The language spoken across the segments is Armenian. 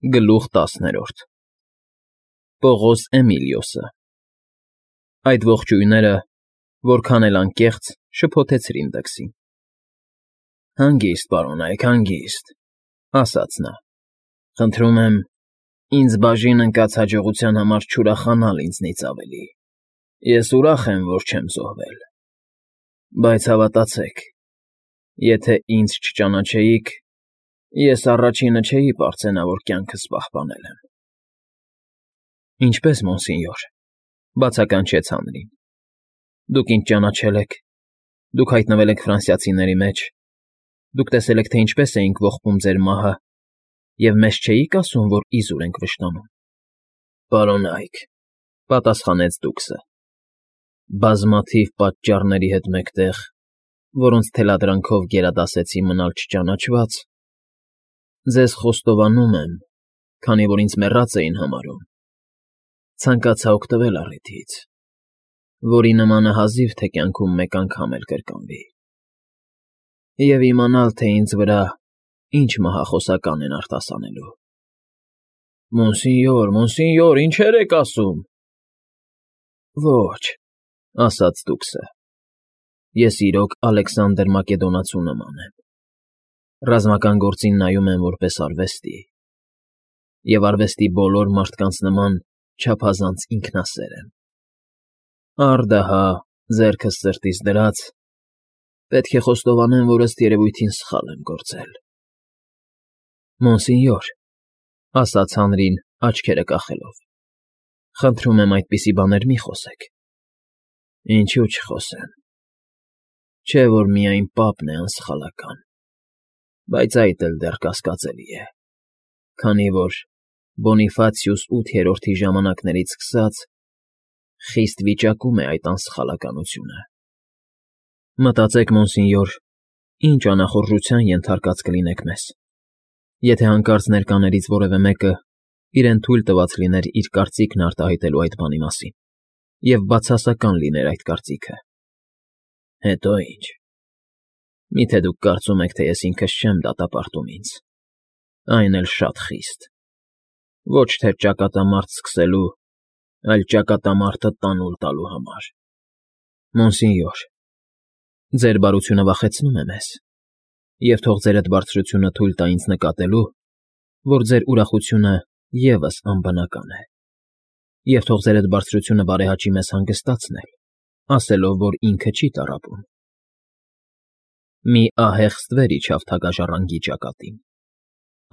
Գլուխ 10 Պողոս Էմիլիոսը Այդ ողջույնները, որքան էլ անկեղծ, շփոթեցրին Դքսին։ «Հանգիստ, պարոնայք, հանգիստ,֊ ասաց նա։֊ Խնդրում եմ, ինձ բաժին ընկած հաջողության համար չուրախանալ ինձնից ավելի. ես ուրախ եմ, որ չեմ զոհվել։ Բայց հավատացեք, եթե ինձ չճանաչեիք, ես առաջինը չէի պարծենա, որ կյանքս պահպանել եմ»։ «Ինչպե՞ս, մոնսենյոր,֊ բացականչեց Հանրին,֊ դուք ինձ ճանաչել եք, դուք հայտնվել եք ֆրանսիացիների մեջ, դուք տեսել եք, թե ինչպես էինք ողբում ձեր մահը, և մեզ չէիք ասում, որ իզուր ենք վշտանում»։ «Պարոնայք,֊ պատասխանեց դուքսը,֊ բազմաթիվ պատճառների հետ մեկտեղ, որոնց թելադրանքով գերադասեցի մնալ չճանաչված, ձեզ խոստովանում եմ, քանի որ ինձ մեռած էին համարում, ցանկացա օգտվել առիթից, որի նմանը հազիվ թե կյանքում մեկ անգամ էլ կրկնվի, և իմանալ, թե ինձ վրա ինչ մահախոսական են արտասանելու»։ «Մոնսենյոր, մոնսենյոր, ինչեր եք ասում»։ «Ոչ,֊ ասաց դուքսը,֊ ես իրոք Ալեքսանդր Մակեդոնացու նման եմ, ռազմական գործին նայում եմ որպես արվեստի, և արվեստի բոլոր մարդկանց նման չափազանց ինքնասեր եմ։ Առ֊դահա, ձեռքս սրտիս դրած, պետք է խոստովանեմ, որ ըստ երևույթին սխալ եմ գործել»։ «Մոնսենյոր,֊ ասաց Հանրին, աչքերը կախելով,֊ խնդրում եմ, այդպիսի բաներ մի խոսեք»։ «Ինչու չխոսեմ։ Չէ՞ որ միայն պապն է անսխալական, բայց այդ էլ դեռ կասկածելի է, քանի որ Բոնիֆացիուս ութերորդի ժամանակներից սկսած խիստ վիճակում է այդ անսխալականությունը։ Մտածեք, մոնսենյոր, ինչ անախորժության ենթարկած կլինեք մեզ, եթե հանկարծ ներկաներից որևէ մեկը իրեն թույլ տված լիներ իր կարծիքն արտահայտելու այդ բանի մասին, և բացասական լիներ այդ կարծիքը։ Հետո ի՞նչ։ Միթե դուք կարծում եք, թե ես ինքս չեմ դատապարտում ինձ, այն էլ շատ խիստ, ոչ թե ճակատամարտ սկսելու, այլ ճակատամարտը տանուլ տալու համար։ Մոնսենյոր, ձեր բարությունը վախեցնում է մեզ, և թող ձեր էդ բարձրությունը թույլ տա ինձ նկատելու, որ ձեր ուրախությունը ևս անբնական է, և թող ձեր էդ բարձրությունը բարեհաճի մեզ հանգստացնել, ասելով, որ ինքը չի տառապում։ Մի ահեղ ստվեր իջավ թագաժառանգի ճակատին,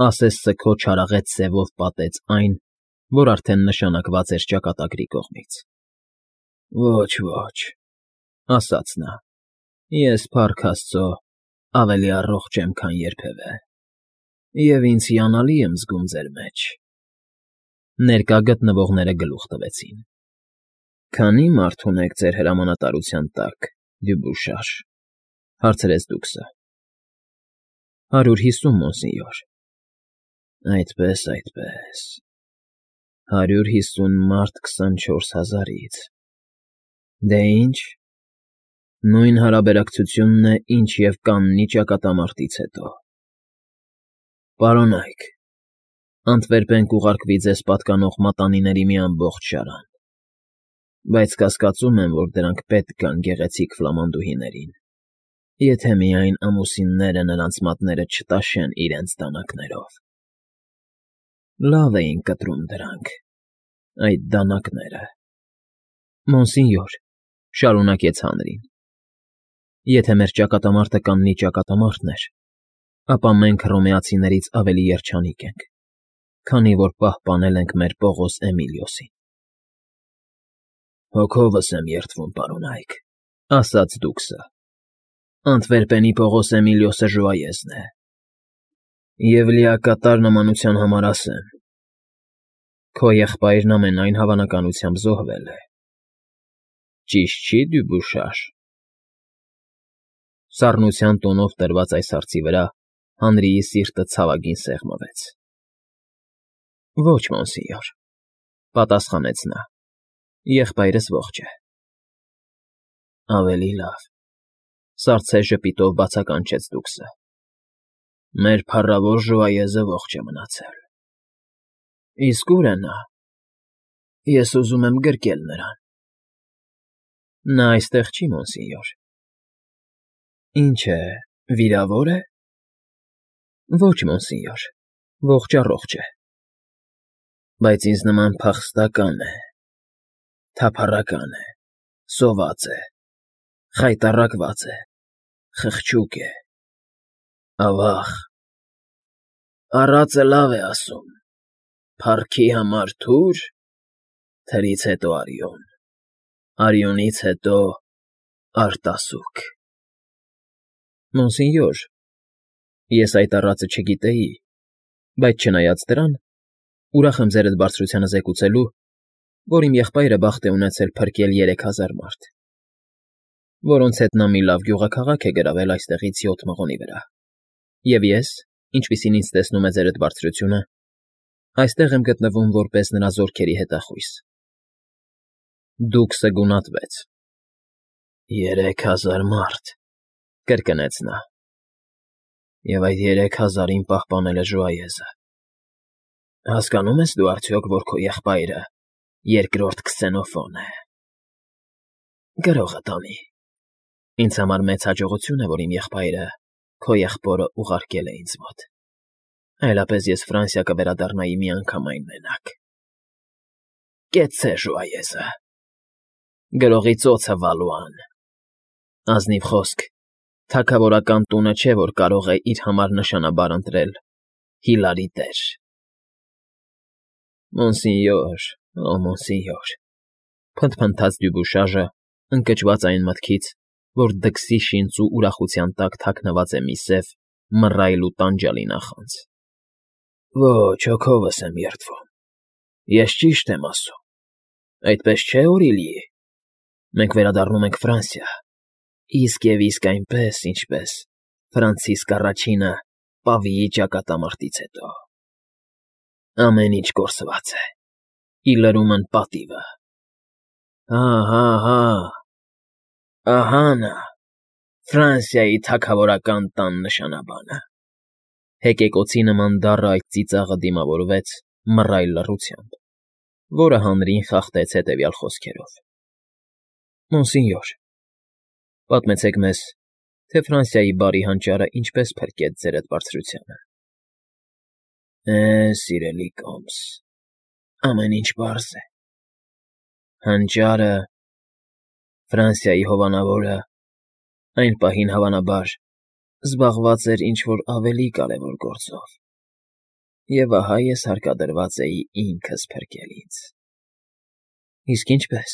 ասես սգո չարաղետ սևով պատեց այն, որ արդեն նշանակված էր ճակատագրի կողմից։ «Ոչ, ոչ,֊ ասաց նա,֊ ես, փառք Աստծո, ավելի առողջ եմ, քան երբևէ, և ինձ հիանալի եմ զգում ձեր մեջ»։ Ներկա գտնվողները գլուխ տվեցին։ «Քանի՞ մարդ ունեք ձեր հրամանատարության տակ, Դյուբուշար,֊ հարցրեց դուքսը։ 150, մոնսենյոր։ Այդպե՜ս, այդպե՜ս, 150 մարդ 24,000-ից։ Դե ի՞նչ, նույն հարաբերակցությունն է, ինչ և Կաննի ճակատամարտից հետո։ Պարոնայք, Անտվերպեն կուղարկվի ձեզ պատկանող մատանիների մի ամբողջ շարան, բայց կասկածում եմ, որ դրանք պետք գան գեղեցիկ ֆլամանդուհիներին, եթե միայն ամուսինները նրանց մատները չտաշեն իրենց դանակներով։ Լավ էին կտրում դրանք, այդ դանակները։ Մոնսենյոր,֊ շարունակեց Հանրին,֊ եթե մեր ճակատամարտը Կաննի ճակատամարտն էր, ապա մենք հռոմեացիներից ավելի երջանիկ ենք, քանի որ պահպանել ենք մեր Պողոս Էմիլիոսին։ «Հոգովս եմ երդվում, պարոնայք,֊ ասաց դուքսը,֊ Անտվերպենի Պողոս Էմիլիոսը ժուայեզն է, և լիակատար նմանության համար ասեմ. քո եղբայրն ամենայն հավանականությամբ զոհվել է։ Ճիշտ չի՞, Դյուբուշար»։ Սառնության տոնով տրված այս հարցի վրա Հանրիի սիրտը ցավագին սեղմվեց։ «Ոչ, մոնսենյոր,֊ պատասխանեց նա,֊ եղբայրս ողջ է»։ «Ավելի լավ,֊ սառցե ժպիտով բացականչեց դուքսը,֊ մեր փառավոր ժուայեզը ողջ է մնացել։ Իսկ ուր է նա։ Ես ուզում եմ գրկել նրան։ Նա այստեղ չի, մոնսինյոր։ Ինչ է, վիրավոր է։ Ոչ, մոնսինյոր, ողջ առողջ է։ Բայց ինձ նման փախստական է, թափառական է, սոված է, խայտառակված է, խղճուկ է, ավաղ։ Առածը լավ է ասում. փառքի համար թուր, թրից հետո արյուն, արյունից հետո արտասուք։ Մոնսինյոր, ես այդ առածը չգիտեի, բայց չնայած դրան, ուրախ եմ ձերդ բարձրությանը զեկուցելու, որ իմ եղբայրը բախտ է ունեցել փրկել 3000 մարդ, որոնց հետ նա մի լավ գյուղաքաղաք է գրավել այստեղից 7 մղոնի վրա, և ես, ինչպիսին ինձ տեսնում է ձերդ բարձրությունը, այստեղ եմ գտնվում որպես նրա զորքերի հետախույս։ Դուքսը գունատվեց։ 3000 մարդ, կրկնեց նա, և այդ 3000-ին պահպանել է Ժուայեզը։ Հասկանո՞ւմ ես դու արդյոք, որ քո եղբայրը երկրորդ Քսենոֆոն է։ Գրողը տանի։ Ինձ համար մեծ հաջողություն է, որ իմ եղբայրը քո եղբորը ուղարկել է ինձ մոտ, այլապես ես Ֆրանսիա կվերադառնայի միանգամայն մենակ։ Կեցցե Ժուայեզը։ Գրողի ծոցը Վալուան։ Ազնիվ խոսք, թագավորական տունը չէ, որ կարող է իր համար նշանաբար ընտրել Հիլարի տեր։ Մոնսինյոր, օ մոնսինյոր, փնթփնթաց Դյուբուշաժը, ընկճված այն մտքից, որ դքսի շինծ ու ուրախության տակ թաքնված է մի սև, մռայլ ու տանջալի նախանձ։ Ոչ, հոգովս եմ երդվում։ Ես ճիշտ եմ ասում։ Այդպես չէ, Օրիլի։ Մենք վերադառնում ենք Ֆրանսիա, իսկ և իսկ այնպես, ինչպես Ֆրանցիսկ առաջինը Պավիի ճակատամարտից հետո։ Ամեն ինչ կորսված է, ի լրումն պատիվը։ Հա, ահա նա, Ֆրանսիայի թագավորական տան նշանաբանը։ Հեկեկոցի նման դառը այդ ծիծաղը դիմավորվեց մռայլ լռությամբ, որը հանրին խախտեց հետևյալ խոսքերով. Մոնսինյոր, պատմեցեք մեզ, թե Ֆրանսիայի բարի հանճարը ինչպես փրկեց ձերդ բարձրությանը։ Սիրելի Կոմս, ամեն ինչ պարզ է։ Հանճարը, Ֆրանսիայի հովանավորը, այն պահին հավանաբար զբաղված էր ինչ-որ ավելի կարևոր գործով, և ահա ես հարկադրված էի ինքս փրկել ինձ։ Իսկ ինչպե՞ս։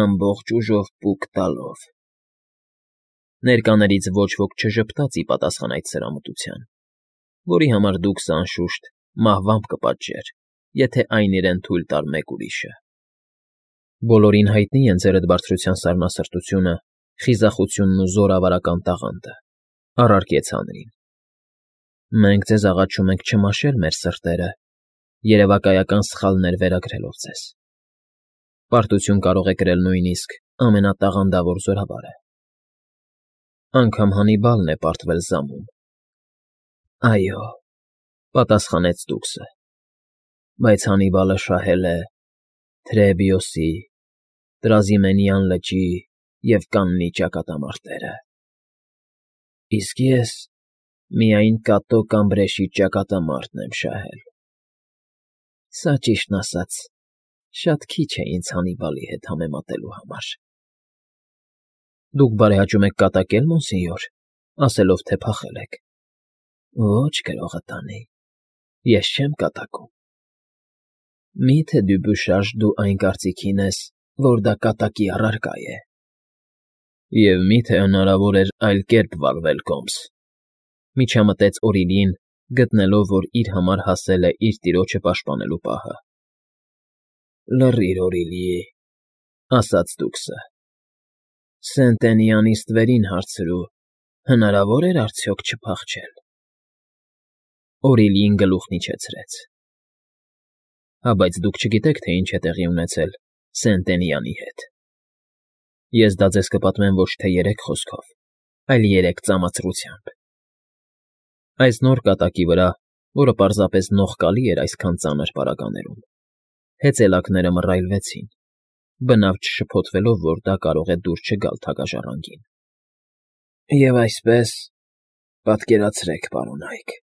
Ամբողջ ուժով պուկ տալով։ Ներկաներից ոչ ոք չժպտաց ի պատասխան այդ սրամտության, որի համար դուքսը, անշուշտ, մահվամբ կպատժեր, եթե այն իրեն թույլ տար մեկ ուրիշը։ Բոլորին հայտնի են ձերդ բարձրության սառնասրտությունը, խիզախությունն ու զորավարական տաղանդը, առարկեց հանրին։ Մենք ձեզ աղաչում ենք չմաշել մեր սրտերը, երևակայական սխալներ վերագրելով ձեզ։ Պարտություն կարող է կրել նույնիսկ ամենատաղանդավոր զորավարը։ Անգամ Հանիբալն է պարտվել զամում։ Այո, պատասխանեց դուքսը, բայց Հանիբալը շահել է Թրեբիոսի, Տրազիմենյան լճի և Կաննի ճակատամարտերը։ Իսկ ես միայն Կատո Կամբրեշի ճակատամարտն եմ շահել։ Սա, ճիշտն ասած, շատ քիչ է ինձ Հանիբալի հետ համեմատելու համար։ Դուք բարեհաճում եք կատակել, մոնսինյոր, ասելով, թե փախել եք։ Ոչ, գրողը տանի, ես չեմ կատակում։ Մի՞թե Դյուբուշաժ դու այն կարծիքին ես, որ դա կատակի առարկա է։ Եվ մի՞թե հնարավոր էր այլ կերպ վարվել, Կոմս, միջամտեց Օրիլին, գտնելով, որ իր համար հասել է իր տիրոջը պաշտպանելու պահը։ Լռիր, Օրիլի, ասաց դուքսը։ Սենտենիանից ստվերին հարցրու, հնարավոր էր արդյոք չփախչել։ Օրիլին գլուխն իջեցրեց։ Հա, բայց դուք չգիտեք, թե ինչ է տեղի ունեցել Սենտենյանի հետ։ Ես դա ձեզ կպատմեմ ոչ թե 3 խոսքով, այլ 3 ծամացրությամբ։ Այս նոր կատակի վրա, որը պարզապես նողկալի էր այսքան ծանր պարագաներում, հեծելակները մռայլվեցին, բնավ չշփոթվելով, որ դա կարող է դուր չգալ թագաժառանգին։ «Եվ այսպես, պատկերացրեք, պարոնայք,֊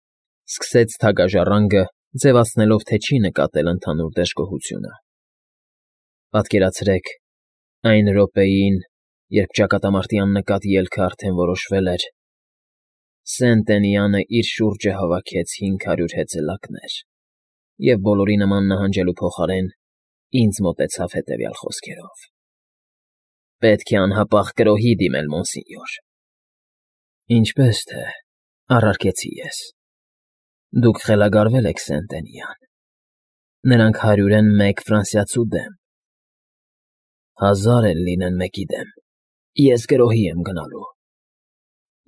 սկսեց թագաժառանգը, ձևացնելով, թե չի նկատել ընդհանուր դժգոհությունը,֊ պատկերացրեք, այն րոպեին, երբ ճակատամարտի աննկատ ելքը արդեն որոշվել էր, Սեն֊Տենյանը իր շուրջը հավաքեց 500 հեծելակներ և բոլորի նման նահանջելու փոխարեն ինձ մոտեցավ հետևյալ խոսքերով. «Պետք է անհապաղ կրոհի դիմել, մոնսինյոր»։ Ինչպես թե, առարկեցի ես. դուք խելագարվել եք, Սեն֊Տենյան, նրանք 100 են մեկ ֆրանսիացու դեմ, 1000 էլ լինեն մեկի դեմ, ես կրոհի եմ գնալու։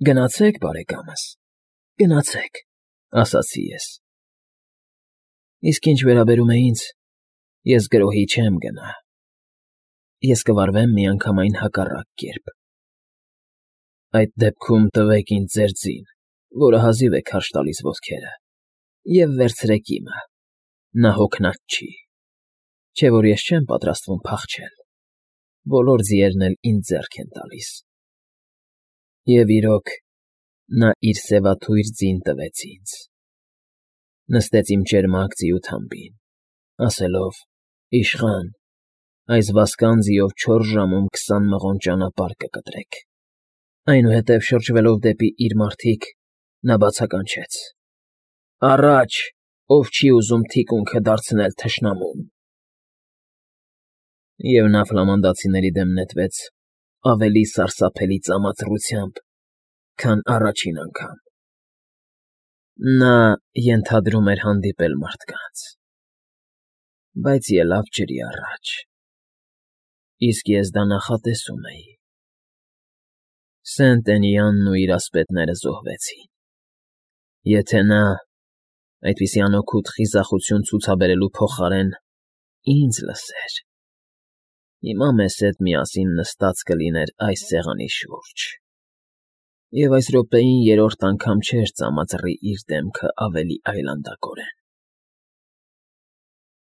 Գնացեք, բարեկամս, գնացեք, ասացի ես։ Իսկ ինչ վերաբերում է ինձ, ես գրոհի չեմ գնա, ես կվարվեմ միանգամայն հակառակ կերպ։ Այդ դեպքում տվեք ինձ ձեր ձին, որը հազիվ է քարշ տալիս ոտքերը, և վերցրեք իմը, նա հոգնած չի, չէ որ ես չեմ պատրաստվում փախչել, բոլոր ձիերն էլ ինձ ձեռք են տալիս։ Եվ իրոք, նա իր սևաթույր ձին տվեց ինձ, նստեց իմ ճերմակ ձիու թամբին, ասելով. «Իշխան, այս վասկան ձիով 4 ժամում 20 մղոն ճանապարհ կկտրեք»։ Այնուհետև շրջվելով դեպի իր մարդիկ, նա բացականչեց. «Առաջ, ով չի ուզում թիկունքը դարձնել թշնամուն»։ Եվ նա ֆլամանդացիների դեմ նետվեց ավելի սարսափելի ծամածռությամբ, քան առաջին անգամ։ Նա ենթադրում էր հանդիպել մարդկանց, բայց ելավ ջրի առաջ, իսկ ես դա նախատեսում էի։ Սեն֊Տենյանն ու իր ասպետները զոհվեցին։ Եթե նա, այդպիսի անօգուտ խիզախություն ցուցաբերելու փոխարեն, ինձ լսեր, հիմա մեզ հետ միասին նստած կլիներ այս սեղանի շուրջ, և այս րոպեին երրորդ անգամ չէր ծամածռի իր դեմքը ավելի այլանդակորեն։